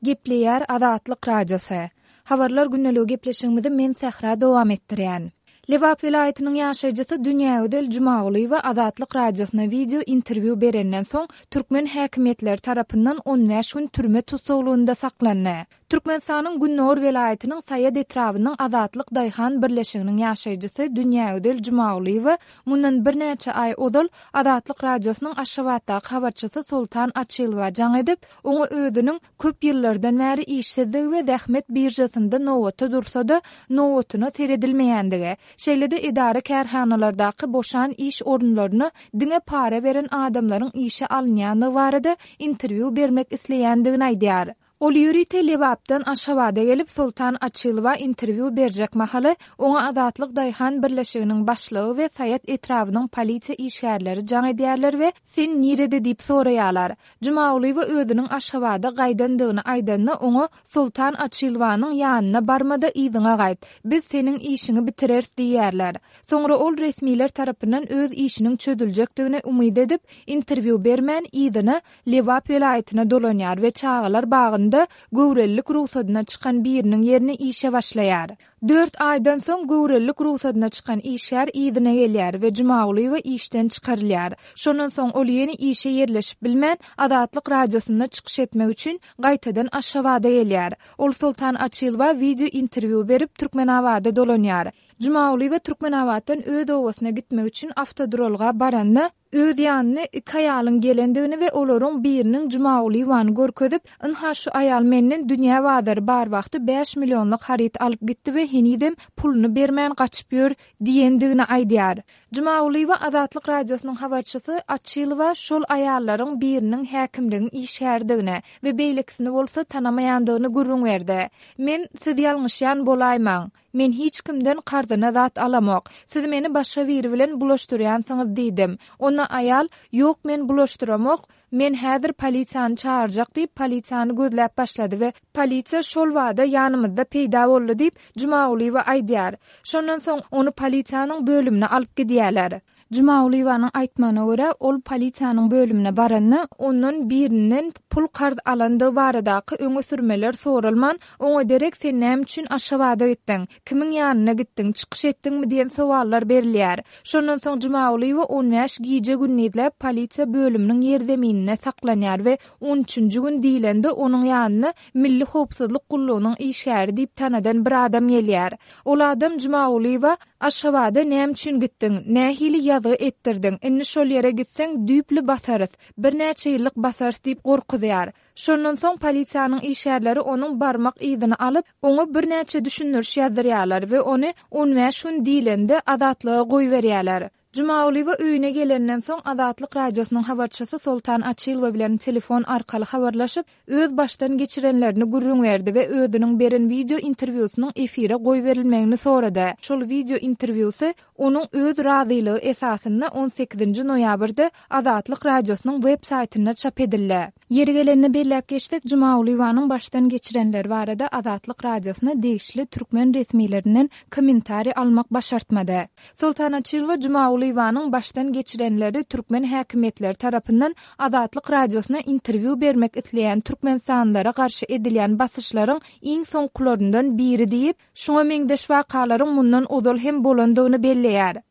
Gepleýär Azatlyk Radiosy. Habarlar gündeligi gepleşigimizi men Sähra dowam etdirýän. Lebap welaýatynyň ýaşaýjysy Dünýägözel Jumagulyýewa Azatlyk Radiosyna wideo interwýu berenden soň, türkmen häkimiýetleri tarapyndan 15 gün türme tussaglygynda saklandy. Türkmenistanyň gündogar welaýatynyň Saýat etrabynyň Azatlyk daýhan birleşiginiň ýaşaýjysy Dünýägözel Jumagulyýewa mundan birnäçe aý ozal Azatlyk Radiosynyň Aşgabatdaky habarçysy Soltan Açylowa jaň edip, oňa özüniň köp ýyllardan bäri işsizdigi we zähmet biržasynda nobata dursa-da, nobatyna seredilmeýändigi, şeýle-de edara-kärhanalardaky boşan iş orunlaryna diňe para beren adamlaryň işe alynýandygy barada interwýu bermek isleýändigini aýdýar. Ol ýörite Lebapdan Aşgabada gelip, Soltan Açylowa interwýu berjek mahaly, oňa Azatlyk daýhan birleşiginiň başlygy we Saýat etrabynyň polisiýa işgärleri jaň edýärler we Sen nirede diýip soraýarlar. Jumagulyýewa özüniň Aşgabada gaýdandygyny aýdanda, oňa Soltan Açylowanyň ýanyna barma-da yzyňa gaýt. Biz seniň işiňi bitireris diýýärler. Soňra ol resmiler tarapyndan öz işiniň çözüljekdigine umyt edip, interwýu bermän, yzyna Lebap welaýatyna dolanýar we çagalar bagynda göwrelilik rugsadyna çykan biriniň ýerine işe başlaýar. Dört aýdan soň göwrelilik rugsadyna çykan işgär yzyna gelýär we Jumagulyýewa işden çykarylýar. Şondan soň ol ýene işe ýerleşip bilmän, Azatlyk Radiosynda çykyş etmek üçin gaýtadan Aşgabada gelýär. Ol Soltan Açylowa wideo interwýu berip, Türkmenabada dolanýar. Jumagulyýewa Türkmenabatdan öz obasyna gitmek üçin awtoduralga baranda, Öz ýanyna iki aýalyň gelendigini we olaryň biriniň Jumagulyýewany görkezip, Ynha şu aýal menden dünýä bazary bar wagty bäş millionlyk haryt alyp gitdi we henizem puluny bermän gaçyp ýör diýendigini aýdýar. Jumagulyýewa Azatlyk Radiosynyň habarçysy Açylowa şol aýallaryň biriniň häkimligiň işgäridigini we beýlekisini bolsa tanamaýandygyny gürrüň berdi. Men, Siz ýalňyşýan bolaýmaň. Men hiç kimden karzyna zat alamok. Siz meni başga biri bilen bulaşdyrýansyňyz diýdim. Onda aýal, Ýok men bulaşdyramok, men häzir polisiýany çagyrjak diýip polisiýany gözläp başlady we polisiýa şol bada ýanymyzda peýda boldy diýip, Jumagulyýewa aýdýar. Şondan soň ony polisiýanyň bölümine alyp gidýärler. Jumagulyýewanyň aýtmagyna görä, ol polisiýanyň bölümine baranda, ondan birinden pul karz alandygy baradaky öňe sürmeler soralman, oňa derek sen näme üçin Aşgabada gitdiň, kimiň ýanyna gitdiň, çykyş etdiňmi diýen sowallar berilýär. Şondan soň Jumagulyýewa 15 gije-gündizläp polisiýa bölüminiň ýerzemininde saklanýar we on üçünji gün diýlende onuň ýanyna Milli howpsuzlyk gullugynyň işgäri diýip tanadan bir adam gelýär. Ol adam Jumagulyýewa Aşgabada näme üçin gitdiň, nähili ýazgy etdirdiň, indi şol ýere gitseň düýpli basarys, birnäçe ýyllyk basarys diýip gorkuzýar. Şondan soň polisiýanyň işgärleri onuň barmak yzyny alyp, oňa birnäçe düşündiriş ýazdyrýarlar we ony 15 gün diýlende azatlyga goýberýärler. Jumagulyýewa öýüne gelenden soň Azatlyk Radiosynyň habarçysy Soltan Açylowa bilen telefon arkaly habarlaşyp, öz başdan geçirenlerini gürrüň berdi we özüniň beren wideo interwýusynyň efire goýberilmegini sorady. Şol wideo interwýusy onuň öz razylygy esasynda on sekizinji noýabrda Azatlyk Radiosynyň web saýtynda çap edildi. Ýeri gelende belläp geçsek, Jumagulyýewanyň başdan geçirenleri barada Azatlyk Radiosyna degişli türkmen resmilerinden kommentariý almak başartmady. Soltan Açylowa Jumagulyýewanyň başdan geçirenleri türkmen häkimiýetleri tarapyndan Azatlyk Radiosyna interwýu bermek isleýän türkmenistanlylara garşy edilýän basyşlaryň iň soňkularyndan biri diýip, şuňa meňzeş wakalaryň mundan ozal hem bolandygyny belleýär.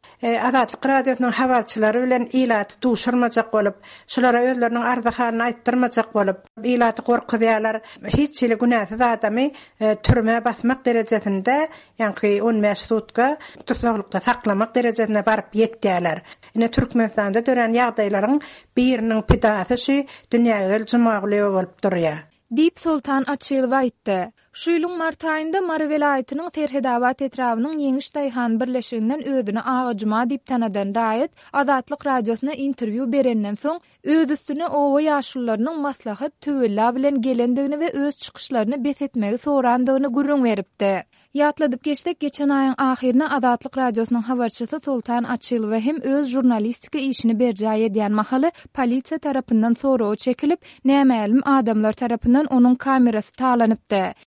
Azatlyk Radiosynyň habarçylary bilen ilaty duşurmajak bolup, şulara özleriniň arzy-halyny aýtdyrmajak bolup, ilaty gorkuzýarlar. Hiç hili günäsiz adamy türmä basmak derejesinde, ýaňky 15 sutka tussaglykda saklamak derejesine baryp ýetýärler. Ine, Türkmenistanda dörän ýagdaýlaryň biriniň pidasy şu Dünýägözel Jumagulyýewa bolup durýar. Diýip, Soltan Açylow aýtdy. Şu ýylyň mart aýynda Mary welaýatynyň Serhedabat etrabynyň Ýeňiş daýhan birleşiginden özüni Aga Juma diýip tanadan raýat Azatlyk Radiosyna interwýu berenden soň, öz üstüne oba ýaşulularynyň maslahat, töwella bilen gelendigini we öz çykyşlaryny bes etmegi sorandygyny gürrüň beripdi. Ýatladyp geçsek, geçen aýyň ahyrynda Azatlyk Radiosynyň habarçysy Soltan Açylowa hem öz žurnalistika işini berjaý edýän mahaly polisiýa tarapyndan soraga çekilip, nämälim adamlar tarapyndan onuň kamerasy talanypdy.